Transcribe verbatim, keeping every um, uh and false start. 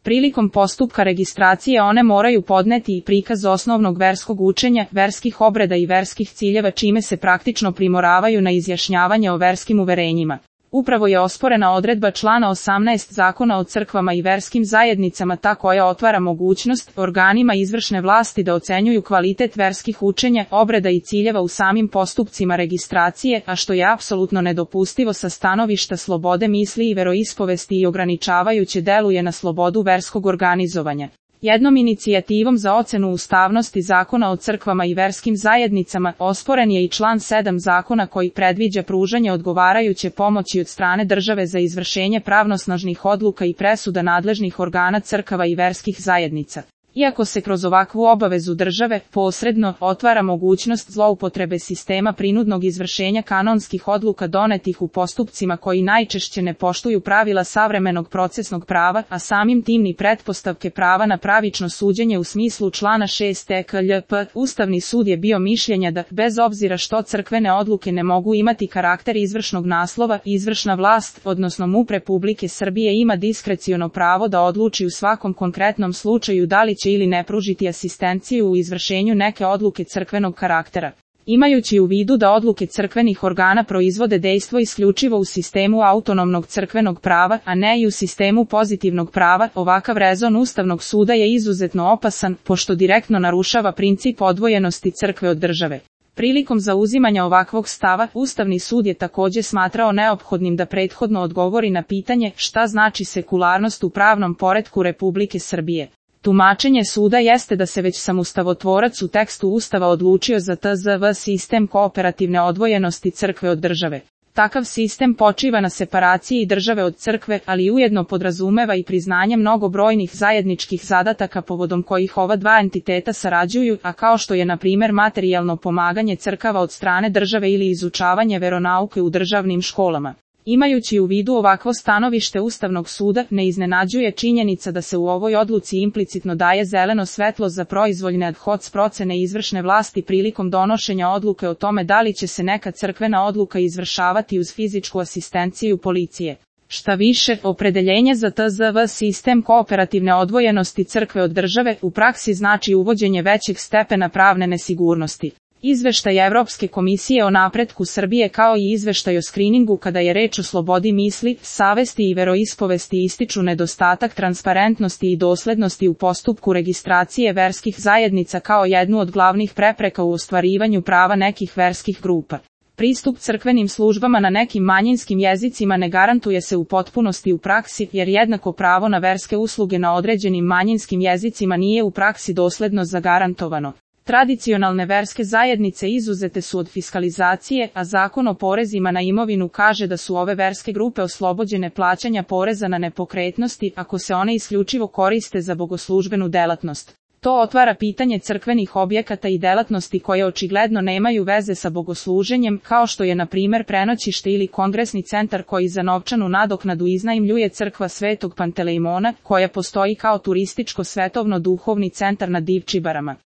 Prilikom postupka registracije one moraju podneti i prikaz osnovnog verskog učenja, verskih obreda i verskih ciljeva čime se praktično primoravaju na izjašnjavanje o verskim uverenjima. Upravo je osporena odredba člana osamnaest Zakona o crkvama i verskim zajednicama ta koja otvara mogućnost organima izvršne vlasti da ocenjuju kvalitet verskih učenja, obreda i ciljeva u samim postupcima registracije, a što je apsolutno nedopustivo sa stanovišta slobode misli i veroispovesti i ograničavajuće deluje na slobodu verskog organizovanja. Jednom inicijativom za ocenu ustavnosti Zakona o crkvama i verskim zajednicama osporen je i član sedam zakona koji predviđa pružanje odgovarajuće pomoći od strane države za izvršenje pravnosnažnih odluka i presuda nadležnih organa crkava i verskih zajednica. Iako se kroz ovakvu obavezu države posredno otvara mogućnost zloupotrebe sistema prinudnog izvršenja kanonskih odluka donetih u postupcima koji najčešće ne poštuju pravila savremenog procesnog prava, a samim tim ni pretpostavke prava na pravično suđenje u smislu člana šest T K L P, Ustavni sud je bio mišljenja da, bez obzira što crkvene odluke ne mogu imati karakter izvršnog naslova, izvršna vlast, odnosno M U P Republike Srbije ima diskreciono pravo da odluči u svakom konkretnom slučaju da li će ili ne pružiti asistenciju u izvršenju neke odluke crkvenog karaktera. Imajući u vidu da odluke crkvenih organa proizvode dejstvo isključivo u sistemu autonomnog crkvenog prava, a ne i u sistemu pozitivnog prava, ovakav rezon Ustavnog suda je izuzetno opasan, pošto direktno narušava princip odvojenosti crkve od države. Prilikom zauzimanja ovakvog stava, Ustavni sud je također smatrao neophodnim da prethodno odgovori na pitanje šta znači sekularnost u pravnom poretku Republike Srbije. Tumačenje suda jeste da se već sam ustavotvorac u tekstu Ustava odlučio za T Z V sistem kooperativne odvojenosti crkve od države. Takav sistem počiva na separaciji države od crkve, ali ujedno podrazumeva i priznanje mnogobrojnih zajedničkih zadataka povodom kojih ova dva entiteta sarađuju, a kao što je na primjer materijalno pomaganje crkava od strane države ili izučavanje veronauke u državnim školama. Imajući u vidu ovakvo stanovište Ustavnog suda, ne iznenađuje činjenica da se u ovoj odluci implicitno daje zeleno svetlo za proizvoljne ad hoc procene izvršne vlasti prilikom donošenja odluke o tome da li će se neka crkvena odluka izvršavati uz fizičku asistenciju policije. Šta više, opredeljenje za T Z V sistem kooperativne odvojenosti crkve od države u praksi znači uvođenje većeg stepena pravne nesigurnosti. Izveštaj Evropske komisije o napretku Srbije kao i izveštaj o skriningu kada je reč o slobodi misli, savesti i veroispovesti ističu nedostatak transparentnosti i doslednosti u postupku registracije verskih zajednica kao jednu od glavnih prepreka u ostvarivanju prava nekih verskih grupa. Pristup crkvenim službama na nekim manjinskim jezicima ne garantuje se u potpunosti u praksi, jer jednako pravo na verske usluge na određenim manjinskim jezicima nije u praksi dosledno zagarantovano. Tradicionalne verske zajednice izuzete su od fiskalizacije, a Zakon o porezima na imovinu kaže da su ove verske grupe oslobođene plaćanja poreza na nepokretnosti ako se one isključivo koriste za bogoslužbenu delatnost. To otvara pitanje crkvenih objekata i delatnosti koje očigledno nemaju veze sa bogosluženjem, kao što je na primjer prenoćište ili kongresni centar koji za novčanu nadoknadu iznajmljuje crkva Svetog Pantelejmona, koja postoji kao turističko svetovno duhovni centar na Divčibarama.